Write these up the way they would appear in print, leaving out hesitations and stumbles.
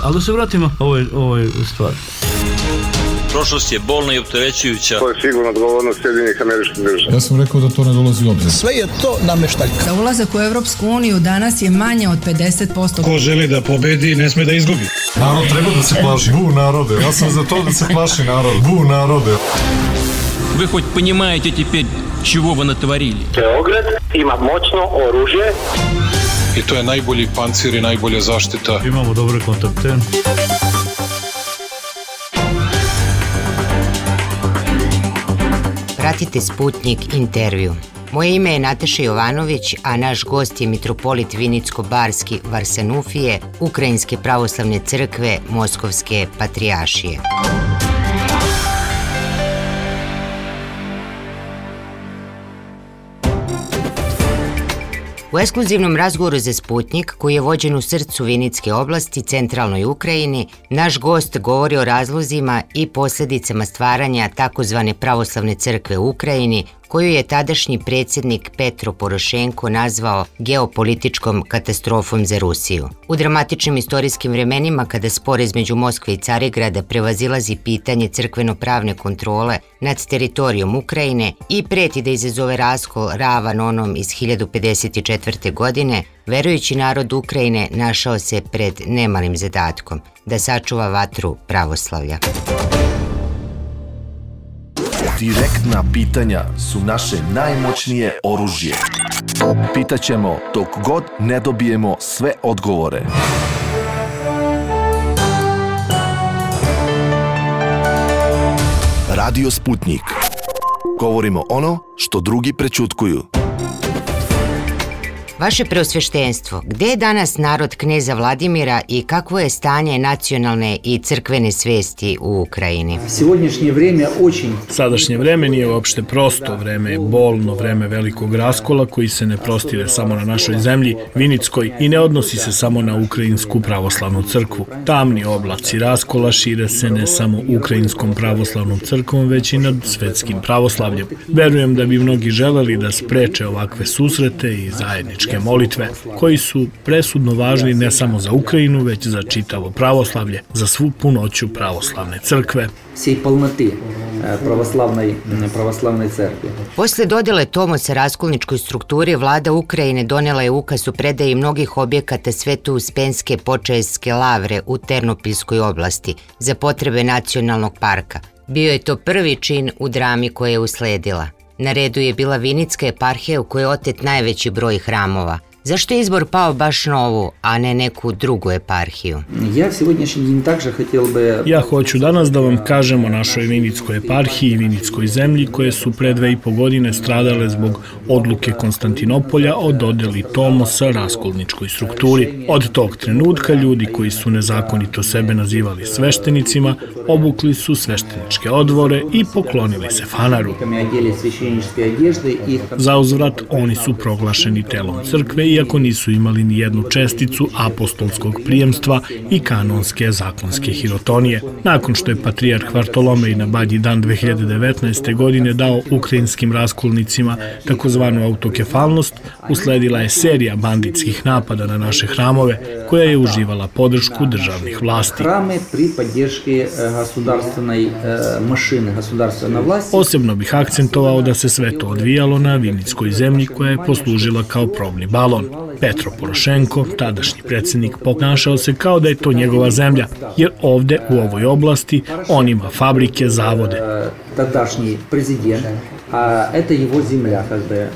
Ali da se vratimo ovoj stvari. Prošlost je bolna i opterećujuća. To je sigurno odgovornost Sjedinjenih Američkih Država. Ja sam rekao da to ne dolazi u obzir. Sve je to nameštaljka. Za ulazak u Evropsku uniju danas je manje od 50%. Ko želi da pobedi, ne sme da izgubi. Narod treba da se plaši. Bu narode. Ja sam za to da se plaši narod. Bu narode. Вы хоть понимаете теперь, чего вы натворили? Beograd ima moćno oružje. I to je najbolji pancir i najbolja zaštita. Imamo dobre kontakte. Pratite Sputnik intervju. Moje ime je Nataša Jovanović, a naš gost je mitropolit Vinicko-Barski Varsanufije, Ukrajinske pravoslavne crkve Moskovske patrijaršije. U ekskluzivnom razgovoru za Sputnik, koji je vođen u srcu Vinitske oblasti, centralnoj Ukrajini, naš gost govori o razlozima i posljedicama stvaranja takozvane pravoslavne crkve u Ukrajini, koju je tadašnji predsjednik Petro Porošenko nazvao geopolitičkom katastrofom za Rusiju. U dramatičnim istorijskim vremenima, kada spor između Moskve i Carigrada prevazilazi pitanje crkveno-pravne kontrole nad teritorijom Ukrajine i preti da izazove raskol ravan onom iz 1054. godine, verujući narod Ukrajine našao se pred nemalim zadatkom da sačuva vatru pravoslavlja. Direktna pitanja su naše najmoćnije oružje. Pitaćemo dok god ne dobijemo sve odgovore. Radio Sputnik. Govorimo ono što drugi prećutkuju. Vaše preosveštenstvo, gde je danas narod kneza Vladimira i kakvo je stanje nacionalne i crkvene svesti u Ukrajini? Sadašnje vreme nije uopšte prosto, vreme je bolno, vreme velikog raskola koji se ne prostire samo na našoj zemlji, Vinickoj, i ne odnosi se samo na Ukrajinsku pravoslavnu crkvu. Tamni oblaci raskola šire se ne samo Ukrajinskom pravoslavnom crkvom, već i nad svetskim pravoslavljem. Verujem da bi mnogi želeli da spreče ovakve susrete i zajedničke molitve, koji su presudno važni ne samo za Ukrajinu, već za čitavo pravoslavlje, za svu punoću pravoslavne crkve. Posle dodele Tomosa raskolničkoj strukturi, vlada Ukrajine donela je ukaz o predaji mnogih objekata Sveto-Uspenske Počaevske lavre u Ternopilskoj oblasti za potrebe nacionalnog parka. Bio je to prvi čin u drami koja je usledila. Na redu je bila Vinitska eparhija u kojoj je otet najveći broj hramova. Zašto je izbor pao baš na ovu, a ne neku drugu eparhiju? Ja hoću danas da vam kažem o našoj Vinitskoj eparhiji i Vinitskoj zemlji, koje su pre 2,5 godine stradale zbog odluke Konstantinopolja o dodeli Tomosa raskolničkoj strukturi. Od tog trenutka ljudi koji su nezakonito sebe nazivali sveštenicima, obukli su svešteničke odvore i poklonili se fanaru. Za uzvrat, oni su proglašeni telom crkve, iako nisu imali ni jednu česticu apostolskog prijemstva i kanonske zakonske hirotonije. Nakon što je patrijarh Vartolomej na Badnji dan 2019. godine dao ukrajinskim raskolnicima takozvanu autokefalnost, usledila je serija banditskih napada na naše hramove, koja je uživala podršku državnih vlasti. Posebno bih akcentovao da se sve to odvijalo na Vinitskoj zemlji, koja je poslužila kao probni balon. Petro Porošenko, tadašnji predsjednik, ponašao se kao da je to njegova zemlja, jer ovde u ovoj oblasti on ima fabrike, zavode.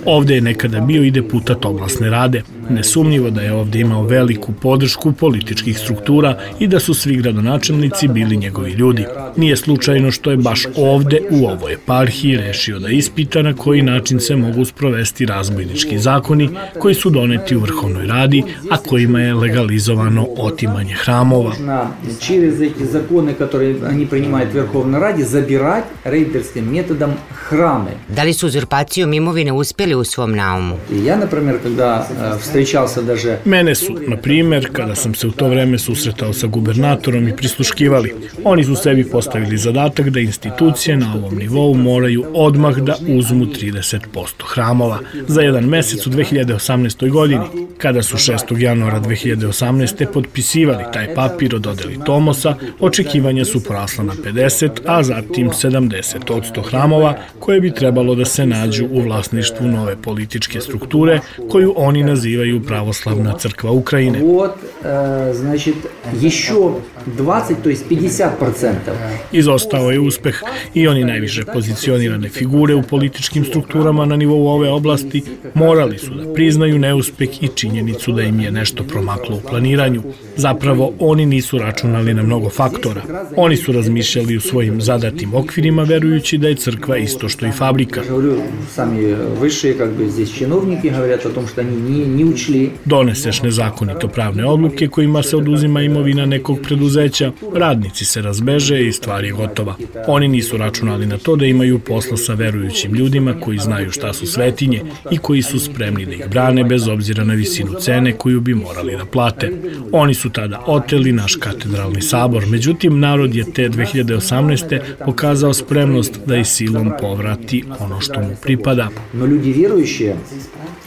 Ovde je nekada bio i deputat oblasne rade. Nesumnjivo da je ovde imao veliku podršku političkih struktura i da su svi gradonačelnici bili njegovi ljudi. Nije slučajno što je baš ovde, u ovoj eparhiji, rešio da ispita na koji način se mogu sprovesti razbojnički zakoni koji su doneti u Vrhovnoj radi, a kojima je legalizovano otimanje hramova. Da li su uzurpacijom imovine uspjeli u svom naumu? Ja, например, когда Mene su, na primjer, kada sam se u to vreme susretao sa gubernatorom i prisluškivali, oni su sebi postavili zadatak da institucije na ovom nivou moraju odmah da uzmu 30% hramova za jedan mesec u 2018. godini. Kada su 6. januara 2018. potpisivali taj papir o dodeli Tomosa, očekivanja su porasla na 50, a zatim 70% hramova koje bi trebalo da se nađu u vlasništvu nove političke strukture koju oni nazivaju Pravoslavna crkva Ukrajine. Izostao je uspeh i oni najviše pozicionirane figure u političkim strukturama na nivou ove oblasti morali su da priznaju neuspeh i činjenicu da im je nešto promaklo u planiranju. Zapravo, oni nisu računali na mnogo faktora. Oni su razmišljali u svojim zadatim okvirima, verujući da je crkva isto što i fabrika. Doneseš nezakonito pravne odluke kojima se oduzima imovina nekog preduzeća, radnici se razbeže i stvar je gotova. Oni nisu računali na to da imaju posla sa verujućim ljudima koji znaju šta su svetinje i koji su spremni da ih brane bez obzira na visinu cene koju bi morali da plate. Oni su tada oteli naš katedralni sabor, međutim narod je te 2018. pokazao spremnost da i silom povrati ono što mu pripada. No ljudi vjerujući,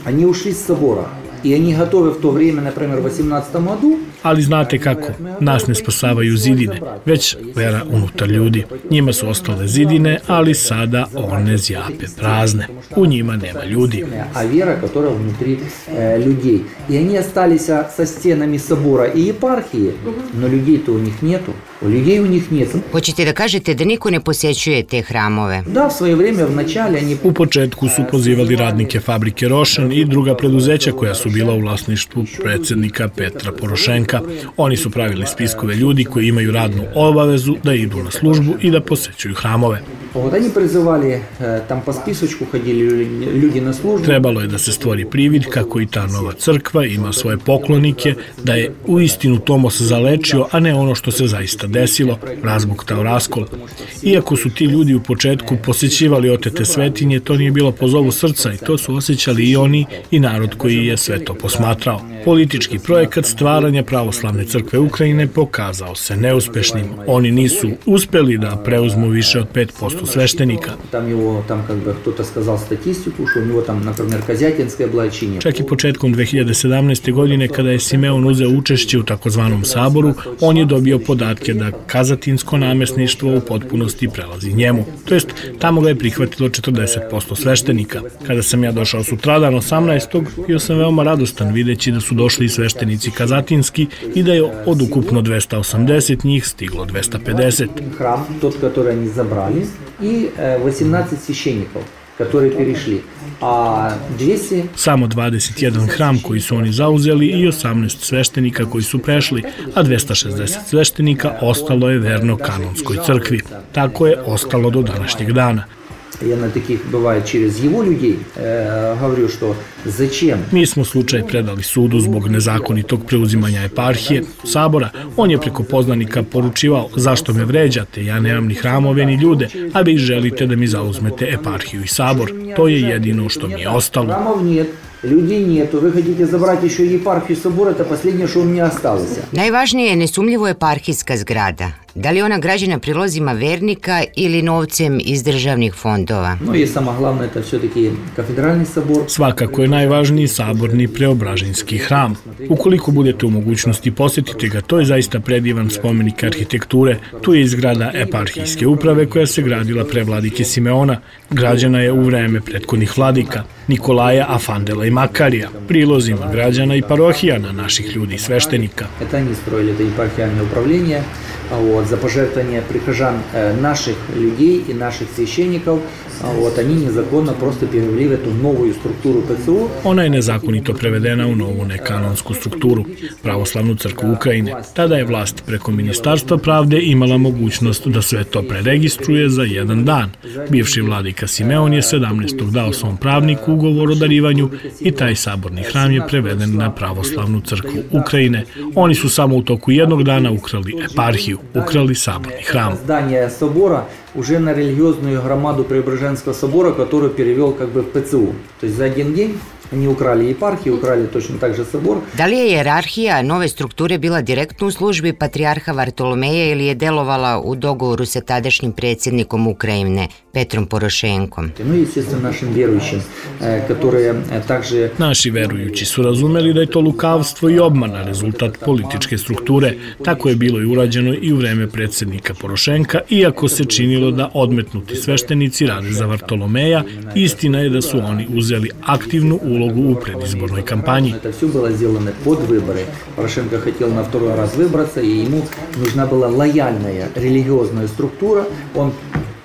oni ušli iz sabora. I oni gotovi v to vrijeme, na primjer, u 18. году. Ali znate kako, nas ne spasavaju zidine, već vera unutar ljudi. Njima su ostale zidine, ali sada one zjape prazne. U njima nema ljudi. A vera, koja внутри людей. I oni ostali sa stenami sabora i eparhije, no ljudi-to u njih netu. Людей у них нет. Hoćete da kažete da niko ne posjećuje te hramove? Da, v svoje vrijeme, v начале они... U početku su pozivali radnike fabrike Rošen i druga preduzeća koja su bila u vlasništvu predsjednika Petra Porošenka. Oni su pravili spiskove ljudi koji imaju radnu obavezu da idu na službu i da posećuju hramove. Oni prizivali, tam po spisочку ходили ljudi na službu. Trebalo je da se stvori privid kako i ta nova crkva ima svoje poklonike, da je uistinu Tomos zalečio, a ne ono što se zaista desilo, razbuktao raskol. Iako su ti ljudi u početku posećivali otete svetinje, to nije bilo po zovu srca i to su osjećali i oni i narod koji je sve to posmatrao. Politički projekat stvaranja Pravoslavne crkve Ukrajine pokazao se neuspešnim. Oni nisu uspeli da preuzmu više od 5% sveštenika. Čak i početkom 2017. godine, kada je Simeon uzeo učešće u takozvanom saboru, on je dobio podatke da kazatinsko namesništvo u potpunosti prelazi njemu. To jest, tamo ga je prihvatilo 40% sveštenika. Kada sam ja došao sutradan 18. bio sam veoma radostan videći da su došli i sveštenici kazatinski i da je od ukupno 280 njih stiglo 250. Hram, tot, который они забрали, и 18 священников, которые перешли. A 200... Samo 21 hram koji su oni zauzeli i 18 sveštenika koji su prešli, a 260 sveštenika ostalo je verno kanonskoj crkvi. Tako je ostalo do današnjeg dana. Я на таких, бывает, через его людей говорю, что зачем? Mi smo slučaj predali sudu zbog nezakonitog preuzimanja eparhije, sabora. On je preko poznanika poručivao zašto me vređate, ja nemam ni hramove ni ljude, a vi želite da mi zauzmete eparhiju i sabor. To je jedino što mi je ostalo. Храмов нет. Людей нету, вы хотите забрать еще епархию собора, это последнее, что у меня осталось. Najvažnije je nesumljivo eparhijska zgrada. Da li ona građena prilozima vernika ili novcem iz državnih fondova? No i samo glavno, это все-таки кафедральный собор. Svakako je najvažniji saborni Preobraženski hram. Ukoliko budete u mogućnosti posjetite ga, to je zaista predivan spomenik arhitekture. Tu je izgrada eparhijske uprave koja se gradila pre vladike Simeona. Građena je u vreme prethodnih vladika, Nikolaja, Afandela i Makarija, prilozima građana i parohijana naših ljudi i sveštenika. Это они строили это епархиальное управление, за пожертвования прихожан наших людей и наших священников. Они незаконно просто перевели в эту новую структуру ПЦУ. Ona je nezakonito prevedena u novu nekanonsku strukturu, Pravoslavnu crkvu Ukrajine. Tada je vlast preko Ministarstva pravde imala mogućnost da sve to preregistruje za jedan dan. Bivši vladika Simeon je 17. dao svom pravniku ugovor o darivanju i taj saborni hram je preveden na Pravoslavnu crkvu Ukrajine. Oni su samo u toku jednog dana ukrali eparhiju, ukrali saborni hram. Zdanje собора уже на религиозную громаду Преображенского собора, которую перевел как бы в ПЦУ. То есть за один день они украли епархiju, ukrali точно так же собor. Da li je hijerarhija nove strukture bila direktno u službi patrijarha Vartolomeja ili je delovala u dogovoru sa tadašnjim predsjednikom Ukrajine, Petrom Porošenkom? Ну, естественно, našim vjerujućim, которые также... Naši verujući su razumeli da je to lukavstvo i obmana, rezultat političke strukture. Tako je bilo i urađeno i u vreme predsjednika Porošenka, iako se činilo da odmetnuti sveštenici rade za Vartolomeja, istina je da su oni uzeli aktivnu ulogu u predizbornoj kampanji. Это все было сделано под выборы. Порошенко хотел на второй раз выбраться, и ему нужна была лояльная религиозная структура. Он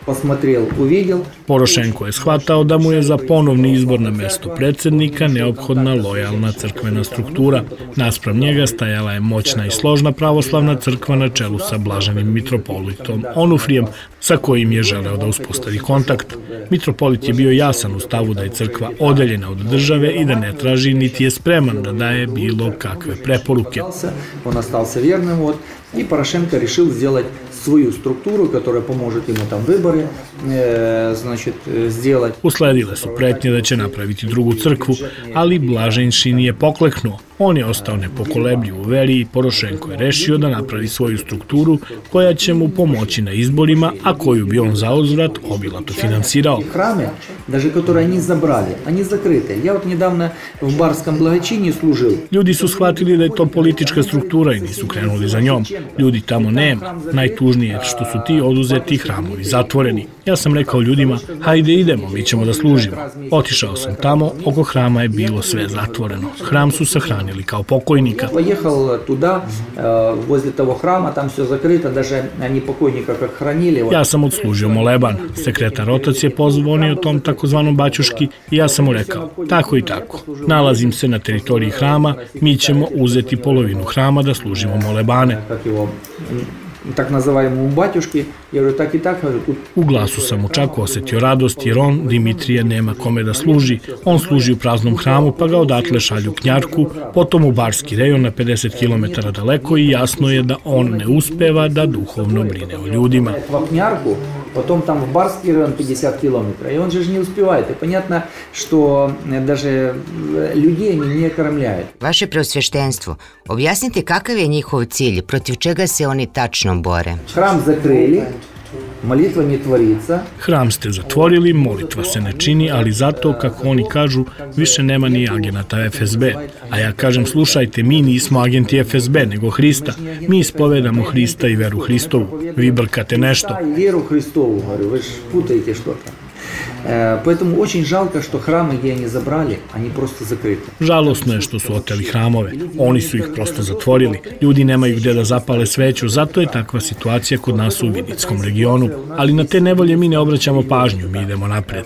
посмотрел, увидел. Porošenko je shvatao da mu je za ponovni izbor na mesto predsjednika neophodna lojalna crkvena struktura. Naspram njega stajala je moćna i složna pravoslavna crkva na čelu sa blaženim mitropolitom Onufrijem, sa kojim je želeo da uspostavi kontakt. Mitropolit je bio jasan u stavu da je crkva odeljena od države i da ne traži niti je spreman da daje bilo kakve preporuke. Он остался верным, вот, и Порошенко решил сделать свою структуру, которая поможет ему там выборы, значит, сделать. Usledile su pretnje da će napraviti drugu crkvu, ali Blaženši nije pokleknuo. On je ostao nepokolebljiv u veri i Porošenko je rešio da napravi svoju strukturu koja će mu pomoći na izborima, a koju bi on zauzvrat obilato finansirao. Храмы, даже которые они забрали, они закрыты. Я вот недавно в Барском благочинии служил. Ljudi su shvatili da je to politička struktura i nisu krenuli za njom. Ljudi tamo nema. Najtužnije je što su ti oduzeti hramovi zatvoreni. Ja sam rekao ljudima, hajde idemo, mi ćemo da služimo. Otišao sam tamo, oko hrama je bilo sve zatvoreno. Hram su sahranili kao pokojnika. Поехал туда, возле того храма, там все закрыто, даже они покойника как хранили. Ja sam odslužio moleban. Sekretar otac je pozvonio tom takozvanom baćuški i ja sam mu rekao, tako i tako. Nalazim se na teritoriji hrama, mi ćemo uzeti polovinu hrama da služimo molebane. Так называемому батюшке, я говорю, так и так, говорю, тут... U glasu sam mu čak osjetio radost jer on, Dimitrije, nema kome da služi. On služi u praznom hramu pa ga odatle šalju Knjarku, potom u Barski rejon na 50 km daleko i jasno je da on ne uspeva da duhovno brine o ljudima. Knjarku, потом там в Барский район 50 километров, и он же не успевает. И понятно, что даже людей они не кормляют. Vaše preosveštenstvo, objasnite kakav je njihov cilj, protiv čega se oni tačno bore. Храм закрыли, molitva ne tворится. Hram ste zatvorili, molitva se ne čini, ali zato, kako oni kažu, više nema ni agenata FSB. A ja kažem, slušajte, mi nismo agenti FSB, nego Hrista. Mi ispovedamo Hrista i veru Hristovu. Vi brkate nešto. Веру Христову, говорю, вы же путаете что-то. Поэтому очень жалко, что храмы, где они забрали, они просто закрыты. Žalosno je što su oteli hramove. Oni su ih prosto zatvorili. Ljudi nemaju gde da zapale sveću, zato je takva situacija kod nas u Vinickom regionu. Ali na te nevolje mi ne obraćamo pažnju, mi idemo napred.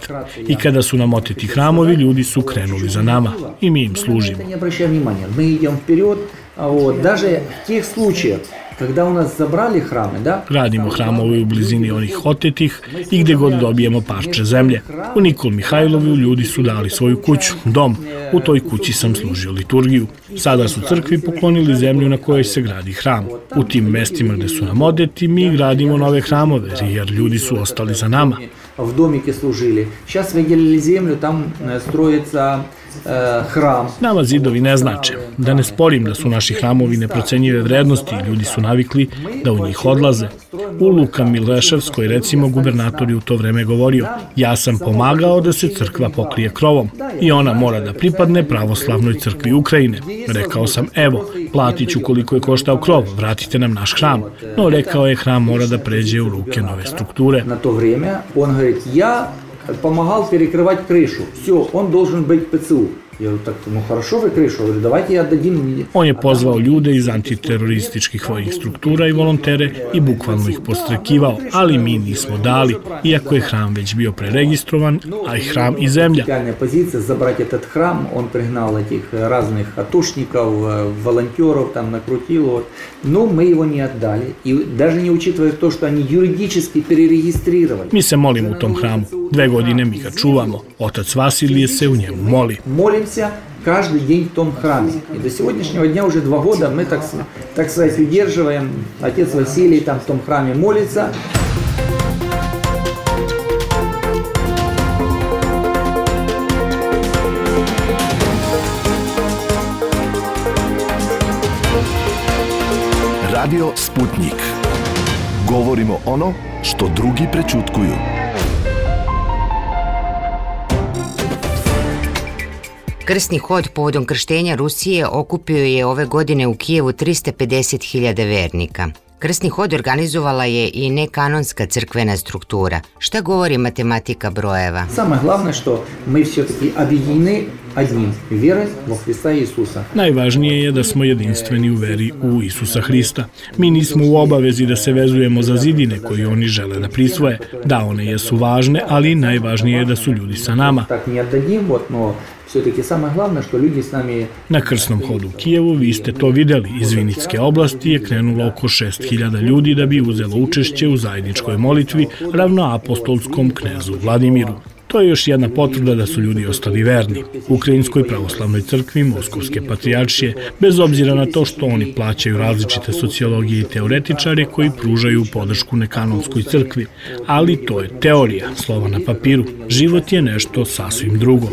I kada su nam oteti hramovi, ljudi su krenuli za nama i mi im služimo. Не обращаем внимания, мы идем вперед, вот, даже в тех случаях, когда у нас забрали храмы, да? Radimo hramove u blizini onih otetih i gde god dobijemo parče zemlje. U Nikol Mihajlovu ljudi su dali svoju kuću, dom. U toj kući sam služio liturgiju. Sada su crkvi poklonili zemlju na kojoj se gradi hram. U tim mestima gde su nam odeti, mi gradimo nove hramove, jer ljudi su ostali za nama. В домике служили. Сейчас выделили землю, там строится hram. Nama zidovi ne znače. Da ne sporim da su naši hramovi neprocenjive vrednosti i ljudi su navikli da u njih odlaze. U Luka Mileševskoj, recimo, gubernator je u to vreme govorio, ja sam pomagao da se crkva pokrije krovom i ona mora da pripadne pravoslavnoj crkvi Ukrajine. Rekao sam, evo, platit ću koliko je koštao krov, vratite nam naš hram. No, rekao je, hram mora da pređe u ruke nove strukture. Na to vrijeme on говорит, я помогал перекрывать крышу. Все, он должен быть ПЦУ. Я говорю, так, ну хорошо вы крышу, говорю, давайте я отдадим. On je pozvao ljude iz antiterorističkih vojnih struktura i volontere i bukvalno ih podstrekivao, ali mi nismo dali, iako je hram već bio preregistrovan, a i hram i zemlja. Реальная позиция забрать этот храм, он пригнал этих разных атошников, волонтеров, там накрутил, вот. Но мы его не отдали, и даже не учитывая то, что они юридически перерегистрировали. Mi se molimo u tom hramu, 2 godine mi ga čuvamo, otac Vasilije se u njemu moli. Молимся каждый день в том храме. И до сегодняшнего дня уже 2 года мы, так сказать, удерживаем. Отец Василий там в том храме молится. Radio Sputnik. Govorimo ono što drugi prećutkuju. Krsni hod povodom krštenja Rusije okupio je ove godine u Kijevu 350.000 vernika. Krsni hod organizovala je i nekanonska crkvena struktura. Šta govori matematika brojeva? Самое главное, что мы все-таки объединены одним верой во Христа Иисуса. Najvažnije je da smo jedinstveni u veri u Isusa Hrista. Mi nismo u obavezi da se vezujemo za zidine koje oni žele da prisvoje. Da, one jesu važne, ali najvažnije je da su ljudi sa nama. Так не отдадим, но все-таки самое главное, что люди с нами... Na krsnom hodu u Kijevu, vi ste to videli, iz Vinitske oblasti je krenulo oko 6.000 ljudi da bi uzelo učešće u zajedničkoj molitvi ravnoapostolskom knezu Vladimiru. To je još jedna potvrda da su ljudi ostali verni Ukrajinskoj pravoslavnoj crkvi Moskovske patrijaršije, bez obzira na to što oni plaćaju različite sociologije i teoretičare koji pružaju podršku nekanonskoj crkvi. Ali to je teorija, slova na papiru. Život je nešto sasvim drugo.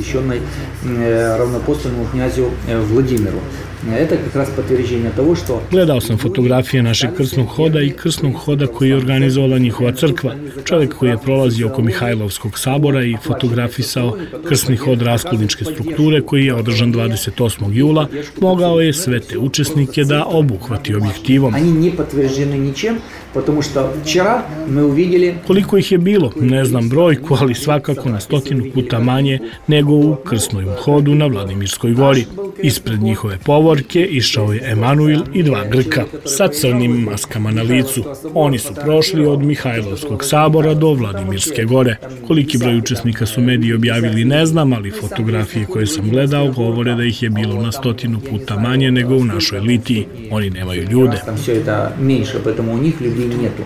Равноапостольному князю Владимиру. Это как раз подтверждение того, что... Gledao sam fotografije našeg krsnog hoda i krsnog hoda koji je organizovala njihova crkva. Čovjek koji je prolazio oko Mihajlovskog sabora i fotografisao krsni hod raskolničke strukture koji je održan 28. jula, mogao je sve te učesnike da obuhvati objektivom. Они не подтверждены ничем, потому что вчера мы увидели... Koliko ih je bilo, ne znam brojku, ali svakako na 100 puta manje nego u krsnom hodu na Vladimirskoj gori. Ispred njihove povorke išao je Emanuil i 2 Grka sa crnim maskama na licu. Oni su prošli od Mihajlovskog sabora do Vladimirske gore. Koliki broj učesnika su mediji objavili ne znam, ali fotografije koje sam gledao govore da ih je bilo na 100 puta manje nego u našoj Litiji. Oni nemaju ljude.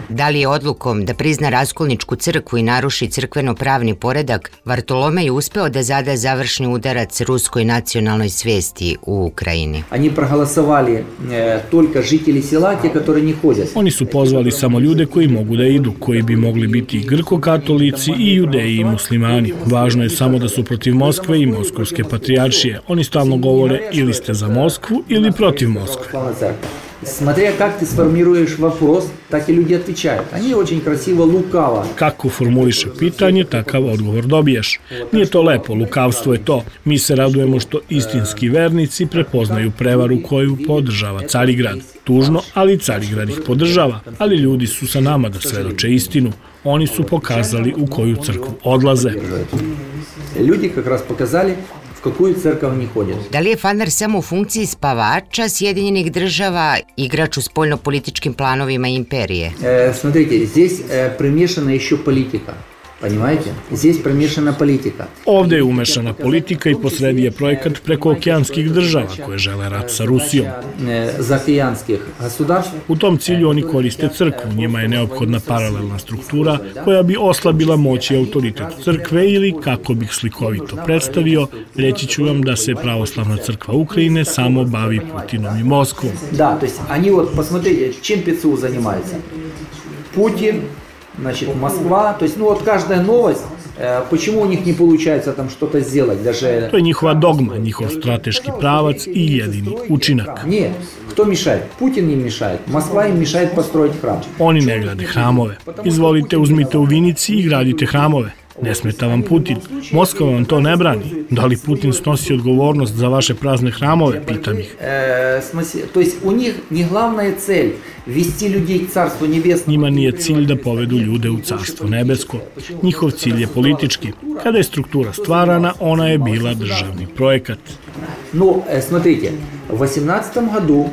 Da li je odlukom da prizna raskolničku crkvu i naruši crkveno-pravni poredak, Vartolomej uspeo da zada završni udarac ruskoj nacionalnoj svesti u Ukrajini? Oni su pozvali samo ljude koji mogu da idu, koji bi mogli biti grko-katolici i judeji i muslimani. Važno je samo da su protiv Moskve i Moskovske patrijaršije. Oni stalno govore ili ste za Moskvu ili protiv Moskve. Смотря как ты сформируешь вопрос, так и люди отвечают. Они очень красиво, лукаво. Kako formuliše pitanje, takav odgovor dobiješ. Nije to lepo, lukavstvo je to. Mi se radujemo što istinski vernici prepoznaju prevaru koju podržava Carigrad. Tužno, ali Carigrad ih podržava. Ali ljudi su sa nama da svedoče istinu. Oni su pokazali u koju crkvu odlaze. Ljudi как раз показали в какую церковь они ходят. Da li je Fanar samo u funkciji spavača Sjedinjenih država, igrač u spoljno-političkim planovima imperije? Смотрите, здесь примешана еще политика. Понимаете? Здесь примешана политика. Ovde je umešana politika i posredi je projekat prekookeanskih država koje žele rat sa Rusijom. Zaokeanskih государств. U tom cilju oni koriste crkvu, njima je neophodna paralelna struktura koja bi oslabila moć i autoritet crkve ili, kako bih slikovito predstavio, reći ću vam da se pravoslavna crkva Ukrajine samo bavi Putinom i Moskvom. Da, to есть они вот посмотрите, чем ПЦУ занимается. Путин, значит, Москва, то есть, ну вот каждая новость, почему у них не получается там что-то сделать, даже... To je njihova dogma, njihov strateški pravac i jedini učinak. Нет, кто мешает? Путин им мешает, Москва им мешает построить храм. Oni ne grade hramove. Izvolite, uzmite u Vinici i gradite hramove. Ne smeta vam Putin. Moskva vam to ne brani. Da li Putin snosi odgovornost za vaše prazne hramove, pitam ih. То есть у них не главная цель вести людей к Царству Небесному. Njima nije cilj da povedu ljude u Carstvo nebesko. Njihov cilj je politički. Kada je struktura stvarana, ona je bila državni projekat. Но, смотрите, в 18 году,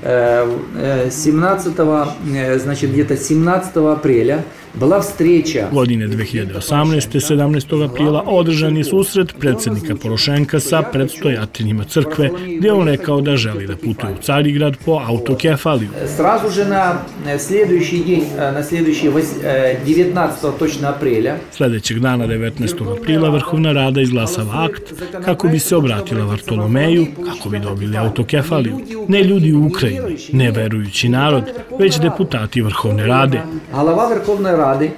17 апреля была встреча. Godine 2018. 17. aprila održan je susret predsjednika Porošenka sa predstojateljima crkve, gdje on rekao da želi da putuje u Carigrad po autokefaliju. Сразу же на следующий день, на следующий 19 точно апреля. Sljedećeg dana 19. aprila Vrhovna Rada izglasava akt kako bi se obratila Vartolomeju, kako bi dobili autokefaliju. Ne ljudi u Ukrajini, ne verujući narod, već deputati Vrhovne Rade. Глава Верховной Рады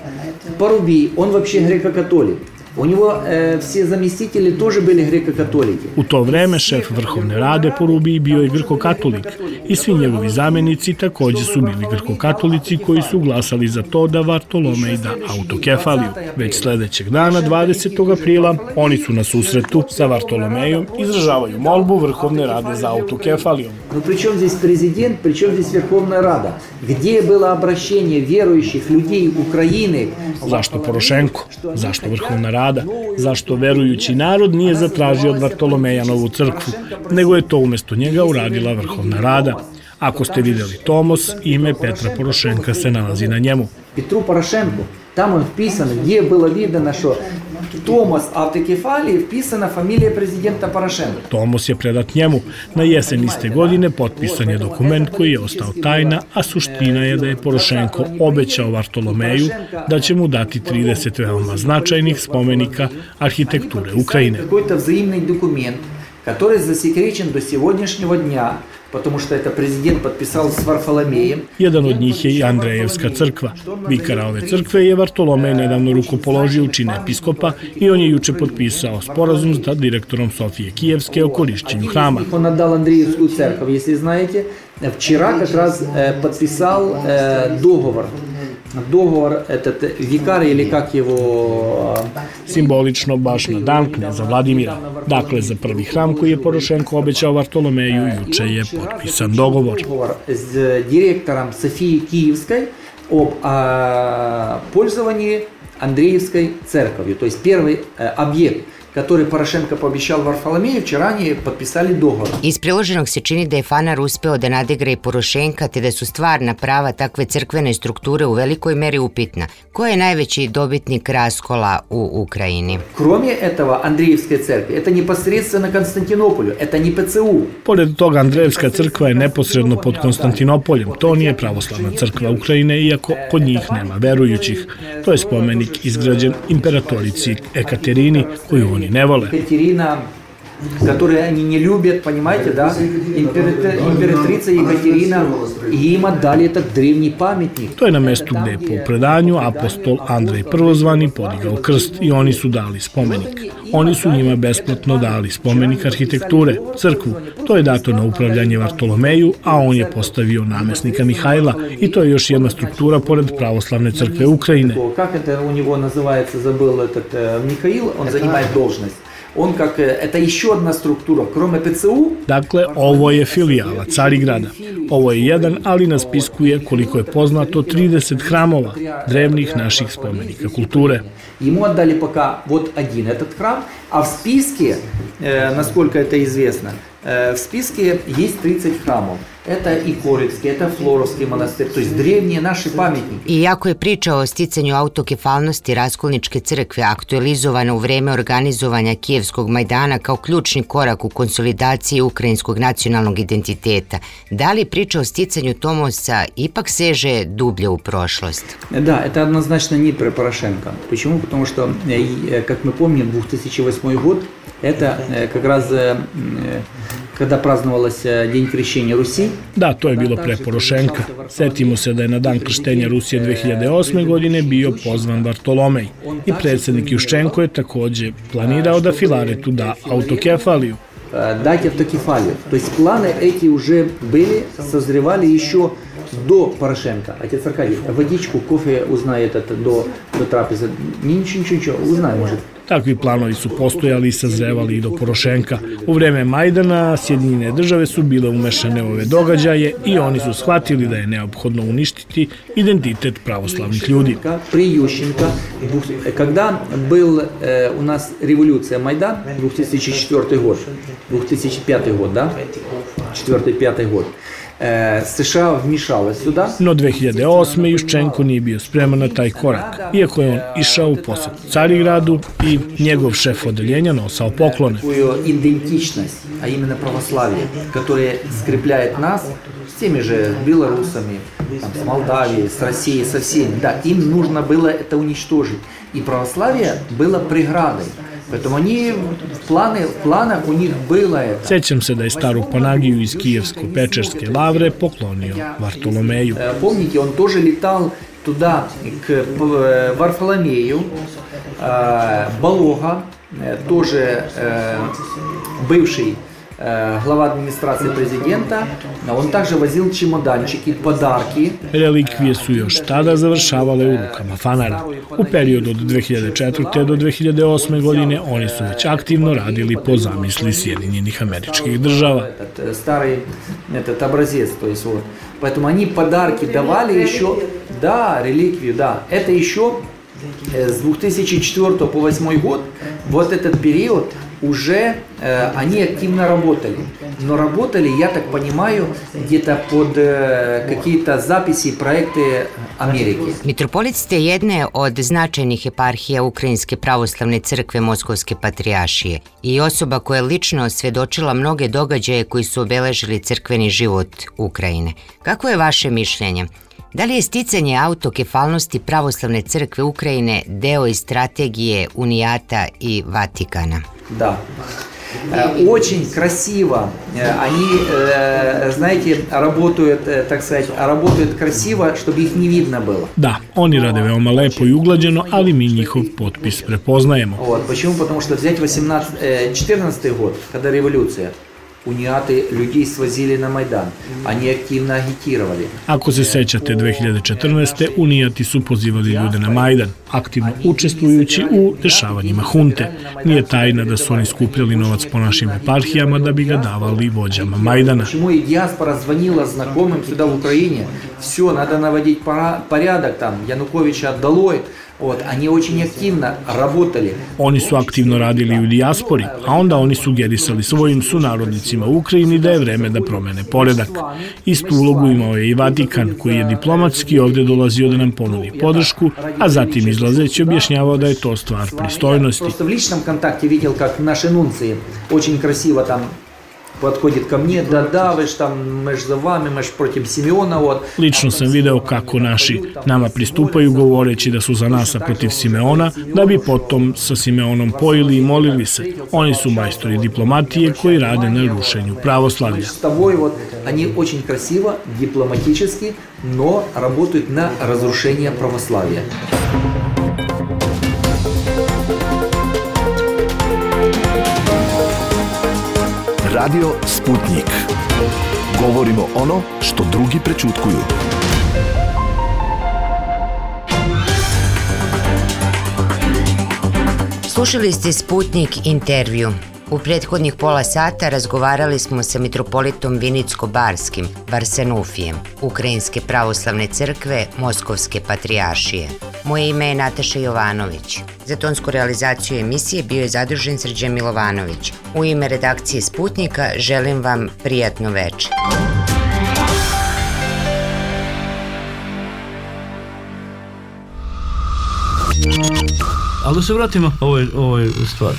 Парубий, он вообще греко-католик. У него все заместители тоже были греко-католики. U to vreme šef Vrhovne rade po Rubiji bio je grko-katolik i svi njegovi zamenici takođe su bili grko-katolici koji su glasali za to da Vartolomej da autokefaliju. Već sledećeg dana, 20. aprila, oni su na susretu sa Vartolomejom izražavaju molbu Vrhovne rade za autokefaliju. Но при чем здесь президент, при чем здесь Верховная Рада? Где было обращение верующих людей Украины? Zašto Porošenko? Zašto Vrhovna rada? Zašto verujući narod nije zatražio od Vartolomeja novu crkvu, nego je to umesto njega uradila Vrhovna rada? Ako ste videli tomos, ime Petra Porošenka se nalazi na njemu. Петру Порошенку, там он вписан, где было видно, что Томас автокефалии вписана фамилия президента Порошенко. Tomos je predat njemu. Na jesen iste godine potpisan je dokument koji je ostao tajna, a suština je da je Porošenko obećao Vartolomeju da će mu dati 30 veoma značajnih spomenika arhitekture Ukrajine. Какой-то взаимный документ, который засекречен до сегодняшнего дня, потому что это президент подписал с Варфоломеем. Jedan od njih je i Andrejevska crkva. Vikara ove crkve je Vartolomej nedavno rukopoložio u čin episkopa i on je juče potpisao sporazum sa direktorom Sofije Kijevske o korišćenju hrama. Он отдал Андреевскую церковь, если знаете. Вчера как раз подписал договор. Dogovor, этот викар ili kak его... Simbolično baš na dan kneza Vladimira. Dakle, za prvi hram koji je Porošenko obećao Vartolomeju, juče je potpisan dogovor. S direktorom Sofije Kijevской об пользовании Андреевской церковью. То есть первый объект, который Порошенко пообещал Варфоломеju, вчера они подписали договор. Iz priloženog se čini da je Fanar uspeo da nadigra i Porošenka, te da su stvarna prava takve crkvene strukture u velikoj meri upitna. Ko je najveći dobitnik raskola u Ukrajini? Кроме этого, Андреевской церкви, это непосредственно Константинополю, это не ПЦУ. Pored toga, Andrejevska crkva je neposredno pod Konstantinopoljem. To nije pravoslavna crkva Ukrajine, iako kod njih nema verujućih. To je spomenik izgrađen imperatorici Ekaterini, koju oni ne vole. Екатерина, которую они не любят, понимаете, да? Императрица Екатерина, и им отдали этот древний памятник. To je na mestu gde je po predanju apostol Andrej Prvozvani podigao krst i oni su dali spomenik. Oni su njima besplatno dali spomenik arhitekture, crkvu. To je dato na upravljanje Vartolomeju, a on je postavio namesnika Mihajla i to je još jedna struktura pored pravoslavne crkve Ukrajine. Как это у него называется, забыл этот Михаил, он занимает должность. Он как, это еще одна структура, кроме ПЦУ. Dakle, ovo je filijala Carigrada. Ovo je jedan, ali na spisku je, koliko je poznato, 30 храмova, древних naših spomenika kulture. Ему отдали пока вот один этот храм, а в списке, насколько это известно, в списке есть 30 храмов. Это и Корицкий, это Флоровский монастырь, то есть древние наши памятники. Iako je priča o sticanju autokefalnosti Raskolničke crkve aktualizovana u vreme organizovanja Kijevskog Majdana kao ključni korak u konsolidaciji ukrajinskog nacionalnog identiteta, da li priča o sticanju Tomosa ipak seže dublje u prošlost? Да, это однозначно не про Порошенко. Почему? Потому что, как мы помним, 2008 год, это как раз kada praznovалась День крещения Руси. Da, to je bilo pre Porošenka. Setimo se da je na dan krštenja Rusije 2008. godine bio pozvan Vartolomej i predsjednik Juščenko je takođe planirao da Filaretu da autokefaliju. Дать автокефалию. То есть планы эти уже были, созревали еще до Порошенко. Отец Аркадий, водичку, кофе узнает это до трапезы. Ничего, узнай, может. Takvi planovi su postojali i sazrevali i do Porošenka. U vreme Majdana Sjedinjene države su bile umešane u ove događaje i oni su shvatili da je neophodno uništiti identitet pravoslavnih ljudi. При Ющенко, когда был у нас революция Майдан, 2004 год, 2005 год, да? 4-5 год. США вмешалась сюда. No 2008. Juščenko nije bio spreman na taj korak, iako je on išao u posjet Carigradu i njegov šef odeljenja nosao poklone. Идентичность, а именно православие, которое скрепляет нас с теми же белорусами, там, с Молдавией, с Россией, со всеми. Да, им нужно было это уничтожить. И православие было преградой. Поэтому они в планах у них было это. Sećam se da je staru Panagiju iz Kijevsko-Pečerske lavre poklonio Vartolomeju. Помните, он тоже летал туда, к Варфоломею, Балога, тоже бывший глава администрации президента, on также возил чемоданчики, подарки. Relikvije su još tada završavale u rukama fanara. U periodu od 2004. do 2008. godine oni su već aktivno radili po zamisli Sjedinjenih Američkih Država. Старый этот образец, то есть вот. Поэтому они подарки давали еще, да, реликвию, да. Это еще с 2004 по 2008 год, вот этот период, уже они активно работали. Но работали, я так понимаю, где-то под какие-то записи, проекты Amerike. Mitropolit ste jedne od značajnih eparhija Ukrajinske pravoslavne crkve Moskovske patrijaršije i osoba koja je lično osvjedočila mnoge događaje koji su obeležili crkveni život Ukrajine. Kako je vaše mišljenje? Da li je sticanje autokefalnosti pravoslavne crkve Ukrajine deo iz strategije Unijata i Vatikana? Да. Очень красиво. Они, знаете, работают, так сказать, работают красиво, чтобы их не видно было. Da, oni rade veoma lepo i uglađeno, ali mi njihov potpis prepoznajemo. Вот. Почему? Потому что взять 14 год, когда революция, униаты людей свозили на Майдан. Они активно агитировали. Ako se sećate 2014. unijati su pozivali ljude na Majdan, aktivno učestvujući u dešavanjima hunte. Nije tajna da su oni skupljali novac po našim eparhijama da bi ga davali vođama Majdana. Почему и диаспора звонила знакомым сюда в Украине? Все, надо наводить порядок там, Януковича долой. Вот, они очень активно работали. Oni su aktivno radili u dijaspori, a onda oni sugerisali svojim sunarodnicima u Ukrajini da je vreme da promene poredak. Istu ulogu imao je i Vatikan, koji je diplomatski ovdje dolazio da nam ponudi podršku, a zatim izlazeći objašnjavao da je to stvar pristojnosti. Просто в личном контакте видел, как наши нунции очень красиво там подходит ко мне, да, вы ж там, мы ж за вами, мы ж против Симеона, вот. Lično sam video kako naši nama pristupaju govoreći da su za nas, a protiv Simeona, da bi potom sa Simeonom pojili i molili se. Oni su majstori diplomatije koji rade na rušenju pravoslavlja. С тобой вот они очень красиво, дипломатически, но работают на разрушение православия. Radio Sputnik. Govorimo ono što drugi prećutkuju. Slušali ste Sputnik intervju. U prethodnih pola sata razgovarali smo sa mitropolitom Vinicko-Barskim, Varsanufijem, Ukrajinske pravoslavne crkve Moskovske patrijaršije. Moje ime je Nataša Jovanović. Za tonsku realizaciju emisije bio je zadužen Srđan Milovanović. U ime redakcije Sputnika želim vam prijatno večer. Ali da se vratimo ovoj stvari.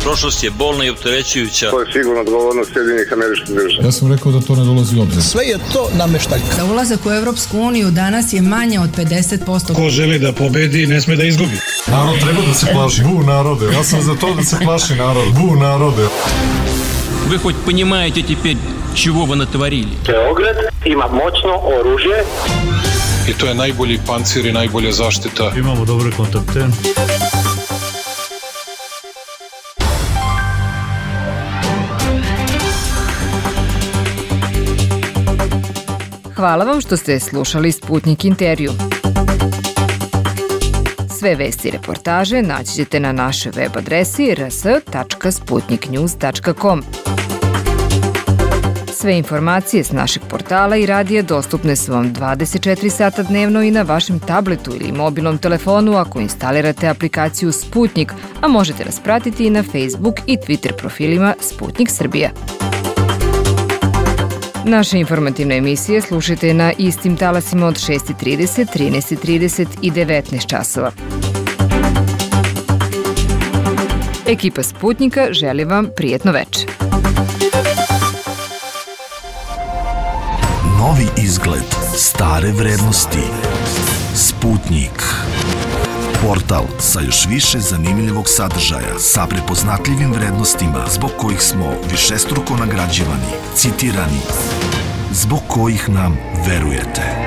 Prošlost je bolna i opterećujuća. To je sigurno odgovornost Sjedinjenih Američkih Država. Ja sam rekao da to ne dolazi u obzir. Sve je to nameštaljka. Za ulazak u Evropsku uniju danas je manje od 50%. Ko želi da pobedi, ne sme da izgubi. Narod treba da se plaši. Bu narode. Ja sam za to da se plaši narod. Bu narode. Вы хоть понимаете теперь, чего вы натворили? Beograd ima moćno oružje. I to je najbolji pancir i najbolja zaštita. Imamo dobre kontakte. Hvala vam što ste slušali Sputnik intervju. Sve vesti i reportaže naći ćete na našoj web adresi rs.sputniknews.com. Sve informacije s našeg portala i radija dostupne su vam 24 sata dnevno i na vašem tabletu ili mobilnom telefonu ako instalirate aplikaciju Sputnik, a možete nas pratiti i na Facebook i Twitter profilima Sputnik Srbija. Naše informativne emisije slušajte na istim talasima od 6:30, 13:30 i 19 časova. Ekipa Sputnika želi vam prijetno večer. Novi izgled, stare vrednosti. Sputnik. Portal sa još više zanimljivog sadržaja, sa prepoznatljivim vrednostima zbog kojih smo višestruko nagrađivani, citirani, zbog kojih nam verujete.